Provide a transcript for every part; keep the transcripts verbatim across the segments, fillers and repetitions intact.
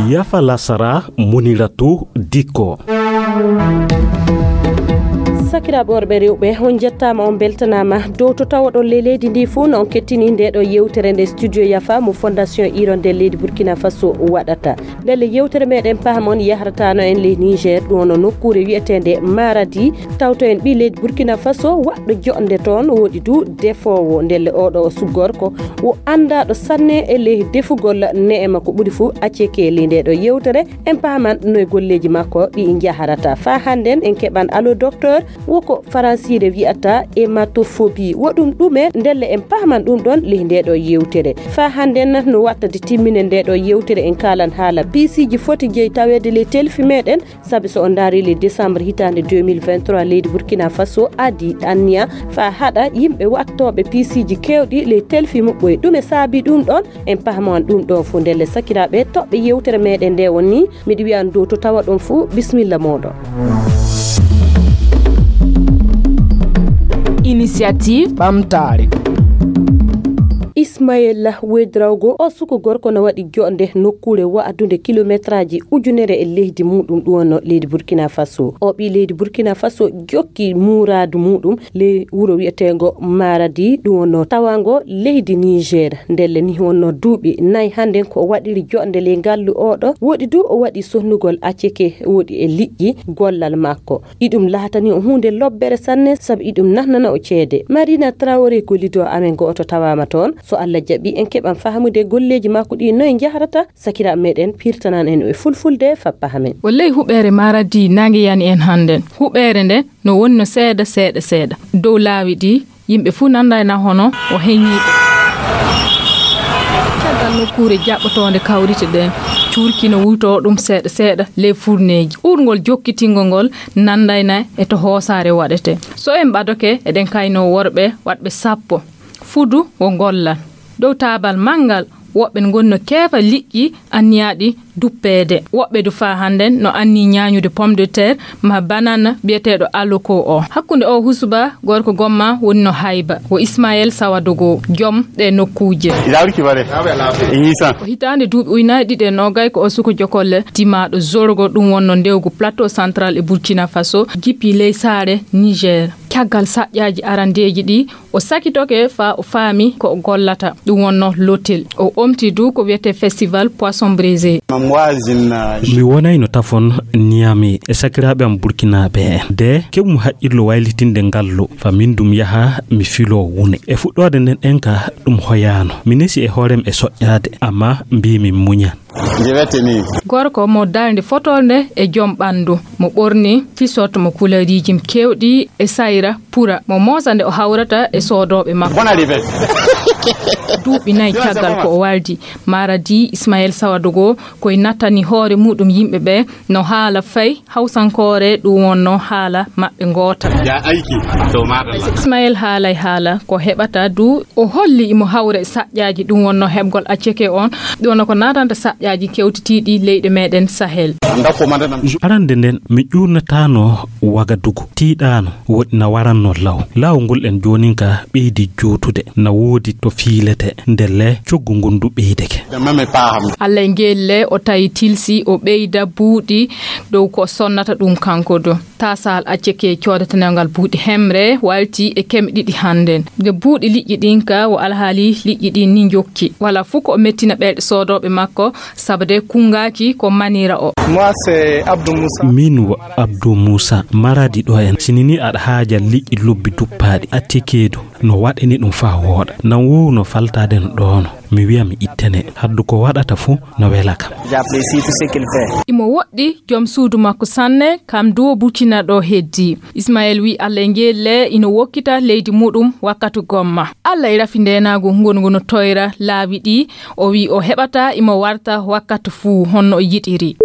Yafa lasara, Muniratu Dikko. Sakiraaɓe worɓe, rewɓe, on njettaama, on mbeltanaama dow to tawoɗon ley leydi ndi fuu, no on kettini nde ɗo yewtere nde Studio Yafa mo Fondation Hirondelle leydi Burkina Faso waɗata. Ndelle yewtere meɗen pahamon yahrataano en ley Niger, ɗum wonno nokkuure wi'eteende Maradi. Tawto en ɓii leydi Burkina Faso waɗɗo joɗnde toon, woɗi du defoowo. Ndelle oɗo o sugorko wo anndaaɗo sanne e ley defugol ne'e makko ɓuri fuu aceke ley nde ɗo yewtere. En pahaman no e golleeji makko ɗi njaharata. Faa hannden en keɓan allo docteur, wo ko faransiire wi'ata hématophobie. Wo ɗum ɗume? Ndelle en pahaman ɗum ɗon ley nde ɗo yewtere. Faa hannden no wattade timmine nde ɗo yewtere, en kaalan haala piisiiji foti jeyi taweede ley telfi meɗen. Sabi so on ndaari ley décembre hitaande deux mille vingt-trois, leydi Burkina Faso adi anniya faa haɗa yimɓe wattooɓe piisiiji keewɗi ley telfi muɓɓoy. Ɗume saabi ɗum ɗon? En pahaman ɗum ɗon fuu. Ndelle sakiraaɓe, toɓɓe yewtere meɗen nde woni, miɗo wi'a on dow to tawa ɗon fuu, bismilla mooɗon. Initiative ɓamtaare. Ismaël Ouédraogo, o suko gorko no waɗi joɗnde nokkuure wa'adunde kilometraaji ujunere e leydi muɗum, ɗum wonno leydi Burkina Faso. O ɓii leydi Burkina Faso jokki muuraadu muɗum ley wuro wi'eteengo Maradi, ɗum wonno tawango leydi Niger. Ndelle ni wonno duuɓi nayi hannden ko o waɗiri joɗnde ley ngallu oɗo. Woɗi du o waɗi sonnugol aceke woɗi e liƴƴi gollal makko. Iɗum laatani o huunde lobbere sanne, sabu iɗum nahnana o ceede. Marina Traoré, gollido amen go'oto tawaama toon. So Allah jaɓi, en keɓan fahamude golleeji makko ɗi noye njahrata. Sakiraaɓe meɗen pirtanan en e fulfulde fappa hamen. O ley huɓeere Maradi naange yani en hannden. Huɓeere nde no wonno seeɗa, seeɗa, seeɗa. Dow laawi ɗi, yimɓe fuu nanda ena hono o heñiiɓe. Caggal nokkuure jaɓɓotoonde kawrite ɗen, cuurki no wultoo ɗum seeɗa, seeɗa ley furneeji. Uurngol jokkitingol ngol nandayna e to hoosaare waɗetee. So en ɓadoke, eɗen kaynoo worɓe waɗɓe sappo. Fudu wo ngollal. Dow taabal manngal, woɓɓe ngoni no keefa liƴƴi anniyaaɗi duppeede. Woɓɓe du faa hannden no anni ñaañude pomme de terre ma banana biyeteeɗo aloko o. Hakkunde o husuba, gorko gomma woni no hayba. Wo Ismaël Sawadogo, jom ɗe nokkuuje. Ko hitaande duuɓi ujunaaji ɗiɗi e noogay ko o suko jokolle dimaaɗo Zorgo, ɗum wonno ndewgu Plateau Central e Burkina Faso, jippi ley saare Niger. Caggal saƴƴaaji arandeeji ɗi, o sakitoke faa o faami ko o gollata, ɗum wonno l'hôtel. O omti du ko wiyetee Festival Poisson Braisé. Mi wonayno tafon Niamey e sakiraaɓe am burkinaaɓe en. De, keɓum haqqillo waylitinde ngallu, faa min dum yaha mi filoo wune. E fuɗɗoode nden ɗen ka ɗum hoyaano. Mi nesi e hoorem e soƴƴaade, ammaa mbii mi muñan. Gorko mo darnde fotolde e jom ɓanndu, mo ɓorni t-shirt mo kuleeriiji keewɗi e sayra pura, mo moosa nde o hawrata e soodooɓe makko. Duuɓi nayi caggal ko o wardi, Maradi Ismaël Sawadogo koy nattani hoore muɗum yimɓe ɓe no haala fay Hawsankoore, ɗum wonno haala maɓɓe ngoota. Ismaël haalay haala ko heɓata du, o holli imo hawra e saƴƴaaji, ɗum wonno heɓgol acceke on, ɗum wonno ko naatanta saƴƴaaji kewtitiiɗi leyɗe meɗen Sahel. Arande nden, mi ƴuurnataano Wagadugu, tiiɗaano, woɗi na waranno law. Laawol ngol en joonin ka ɓeydi juutude, na woodi to fiilete, ndelle coggu ngun du ɓeydeke. Allah e ngelle o tawi tilsi, o ɓeyda buuɗi dow ko sonnata ɗum kanko du. Taasal acceke coodatengal buuɗi hemre walti e keme ɗiɗi hannden. Nde buuɗi liƴƴi ɗin ka, wo alhaali liƴƴi ɗin ni njokki. Wala fuu ko o mettina ɓerɗe soodooɓe makko, sabu de kunngaaki ko manira o. Min wo Abdou Moussa, Maradi ɗo en. Sinini aɗa haaja liƴƴi lobbi duppaaɗi, accekeedu no waɗani ɗum faa wooɗa. Nan woowu no faltaade no ɗoono. Mi wi'a mi ittane. Haddu ko waɗata fuu no wela kam. Imo woɗɗi jom suudu makko sanne, kam du o buccina ɗo heddi. Ismael wi Allah e ngelle ino wokkita leydi muɗum wakkatu gomma. Allah e rafi ndeenaagu ngongu no toyra laawi ɗi, o wi o heɓata imo warta wakkatu fuu honno o yiɗiri.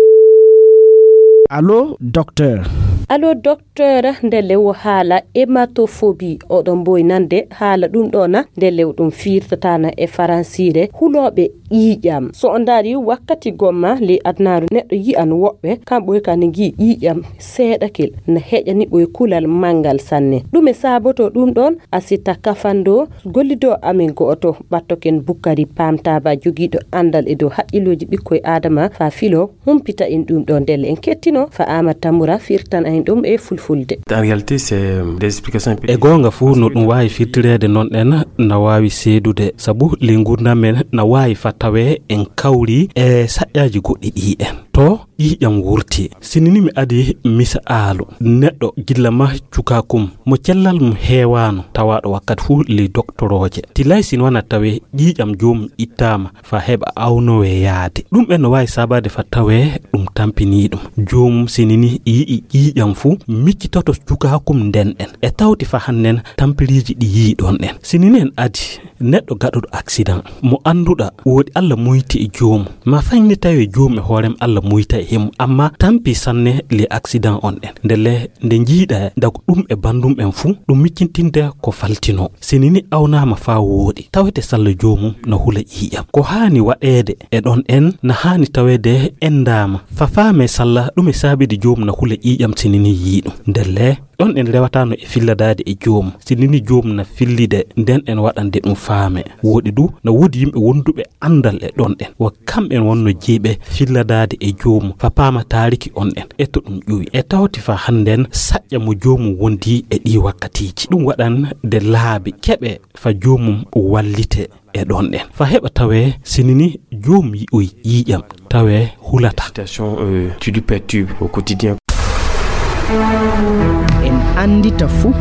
Allo, docteur. Allo, docteur, nde lewo haala hématophobie, oɗon mboy nande haala ɗum ɗo na? Nde lew ɗum firtatana e faransiire hulooɓe ƴiiƴam. So on ndaari wakkati gomma ley adunaaru, neɗɗo yi'an woɓɓe, kamɓe kan ngi ƴiiƴam seeɗakel na heƴani ɓoy kulal manngal sanne. Ɗume saaboto ɗum ɗon? Asita kafando, gollido amen go'oto, ɓattoken Bukkari Pamtaba, jogiiɗo anndal e dow haqqillooji ɓikkoy Aadama faa filo, humpita en ɗum ɗo ndelle. En kettino fa Aamadu Tambura firtan en ɗum e fulfulde. En réalité, c'est, euh, des explications. E goonga fuu, no ɗum waawi firtireede noon ɗen na waawi seedude, sabu ley nguurndam men na waawi fa tawee en kawri e saƴƴaaji goɗɗi ɗi en. To ƴiiƴam wurti. Sinini mi adi misaalu neɗɗo gilla ma cukaakum mo cellal mum heewaano, tawaaɗo wakkati fuu ley doktorooje. Tilay si wona tawee ƴiiƴam joomum ittaama fa heɓa awnowee yaade. Ɗum en no waawi saabaade fa tawee ɗum tampinii ɗum. Joomum sinini yi'i ƴiiƴam fuu, miccitoto cukaakum nden en. E tawti fa hannden tampiriiji ɗi yi'i ɗon en. Sinini en adi neɗɗo gaɗuɗo accident, mo annduɗa woodi Alla muyti e joomum. Ma faŋ ni tawi joomum e hoore mum Alla muyta e himum, amma tampi sanne ley accident on en. Ndelle nde njiiɗa dago ɗum e banndum en fuu, ɗum miccintinde ko faltinoo. Sinini awnaama faa wooɗi, tawete salla joomum na hula ƴiiƴam. Ko haani waɗeede e ɗon en na haani taweede enndaama. Fa faamee salla ɗum e saabidi joomum na hula ƴiiƴam sinini yi'i ɗum. Ndelle ɗon en rewataano e filladaade e joomum. Sinini joomum na fillide, nden en waɗande ɗum faame. Wooɗi du, na woodi yimɓe wonduɓe anndal e ɗon en. Wo kamɓe en wonno jeyɓe filladaade e joomum, fa paama taariki on en. E to ɗum ƴuwi. E tawti fa hannden saƴƴa mo joomum wondi e ɗii wakkatiiji. Ɗum waɗan de laabi keɓe fa joomum wallite e ɗon ɗen. Fa heɓa tawee sinini joom yi'oy ƴiiƴam, tawee hulata. Situation, euh, qui lui perturbe au quotidien. En anndita fuu.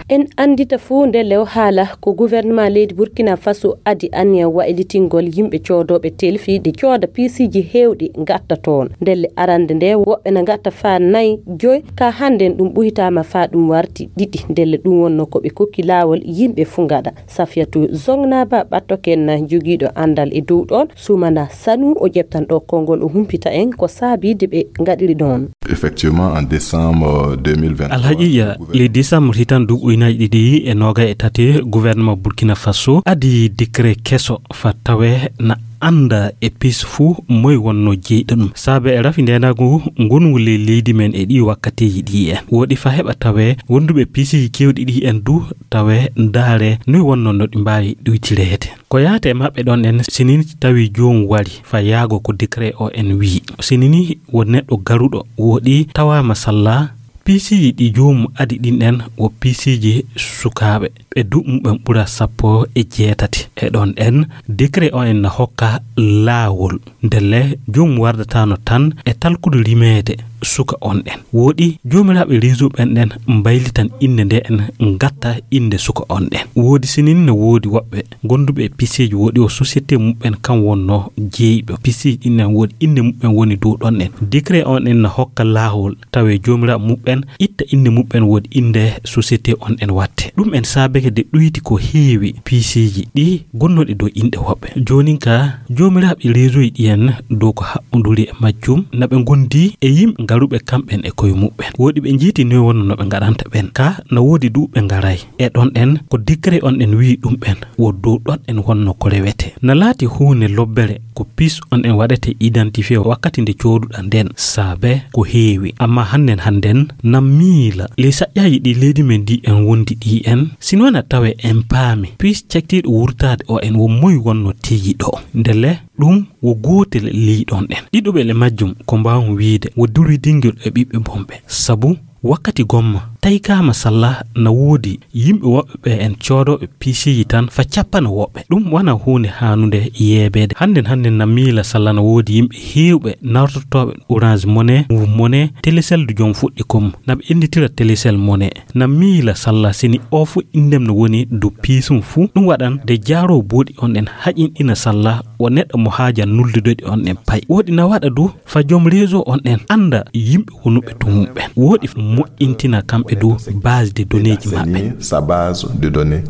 En anndita fuu nde lew haala ko gouvernement leydi Burkina Faso adi anniya waylitingol yimɓe coodooɓe telfi de cooda piisiiji heewɗi ngatta toon. Ndelle arande nde woɓɓe na ngatta faa nay joy, ka hannden ɗum ɓuytaama faa ɗum warti ɗiɗi. Ndelle ɗum wonno ko ɓe kokki laawol yimɓe fuu ngaɗa. Safiyatu Zongnaba ɓattoken na jogiiɗo anndal e dow ɗoon, Sumana Sanu o ƴeftan ɗo konngol o humpita en ko saabiide ɓe ngaɗiri ɗoon. Effectivement, en décembre deux mille vingt-trois, alhaqiiqa, ley décembre hitan duuɓi ujunaaji ɗiɗi e noogay e tati, gouvernement Burkina Faso adi décret keso fa tawee na annda e piis fuu moy wonno jeyɗo ɗum. Saabe e rafi ndeenaagu ngongu ley leydi men e ɗii wakkatiiji ɗi en. Wooɗi fa heɓa tawee wonduɓe piisiiji keewɗi ɗi en du tawee ndaare noy wonno no ɗi mbaawi ɗuytireede. Ko yaate e maɓɓe ɗon en, sinini tawi joom wari fa yaago ko décret o en wi'i. Sinini wo neɗɗo garuɗo wooɗi tawaama salla, piisiiji ɗi joomum adi ɗin ɗen wo piisiiji sukaaɓe, ɓe duuɓi muɓɓen ɓura sappo e jeetati. E ɗon ɗen, décret o en na hokka laawol. Ndelle, joomum wardataano tan e talkude rimeede suka on ɗen. Wooɗi, joomiraaɓe réseau ɓen ɗen mbaylitan innde nde en, ngatta innde suka on ɗen. Woodi sinini no woodi woɓɓe gonduɓe e piisiiji, wooɗi o société muɓɓen kan wonno jeyɓe. Piisiiji ɗin ɗen wooɗi innde muɓɓen woni dow ɗon ɗen. Décret on ɗen na hokka laawol tawe joomiraaɓe muɓɓen itta innde muɓɓen woodi innde société on ɗen watte. Ɗum en saabeke de ɗuyti ko heewi piisiiji ɗi gonnoɗi dow inɗe woɓɓe. Joonin ka, joomiraaɓe réseau ji ɗi en dow ko haɓɓunduri e majjum, na ɓe ngondi e yimɓe garuɓe kamɓen e koye muɓɓen. Wooɗi ɓe njiiti noy wonno no ɓe ngaɗanta ɓen. Ka na woodi du ɓe ngaray. E ɗon ɗen, ko décret on ɗen wi'i ɗum ɓen, wo dow ɗon ɗen wonno ko rewete. Na laati huunde lobbere ko piis on ɗen waɗete identifié wakkati nde cooduɗa nden, saabe ko heewi. Amma hannden hannden, na miila, ley saƴƴaaji ɗi leydi men ndi en wondi ɗi en, si wona tawe en paami, piis cektiiɗo wurtaade o en wo moy wonno tigi ɗo. Ndelle, ɗum wo gootel ley ɗon ɗen. Ɗiɗuɓe le majjum ko mbaawmi wiide wo durwidingel e ɓiɓɓe bonɓe. Sabu, wakkati gomma, taykaama salla na woodi yimɓe woɓɓe ɓe en coodooɓe piisiiji tan fa cappana woɓɓe. Ɗum wona huunde haanunde yeebeede. Hannden hannden na miila salla na woodi yimɓe heewɓe nawtortooɓe Orange Money, Moov Money, Telecel du jom fuɗɗi kom. Na ɓe innditira Telecel Money. Na miila salla sini o fu inndem no woni du piisum fu. Ɗum waɗan de jaaroo booɗi on ɗen haƴinɗina salla o neɗɗo mo haaja nuldude ɗi on ɗen pay. Wooɗi na waɗa du fa jom réseau on ɗen annda yimɓe wonuɓe to mum ɓen. Wooɗi moƴƴintina kamɓe du base de données ji maɓɓe. Sa base de données.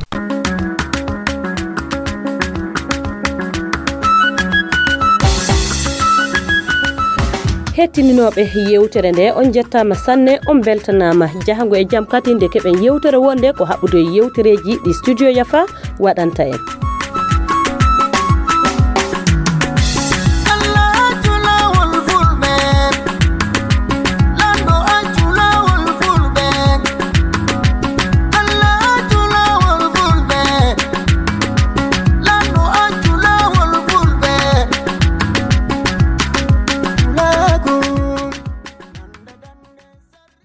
Hettininooɓe yewtere nde, on njettaama sanne, on mbeltanaama. Jahango e jam kadi nde keɓen yewtere wonde ko haɓɓude e yewtereeji ɗi Studio Yafa waɗanta en.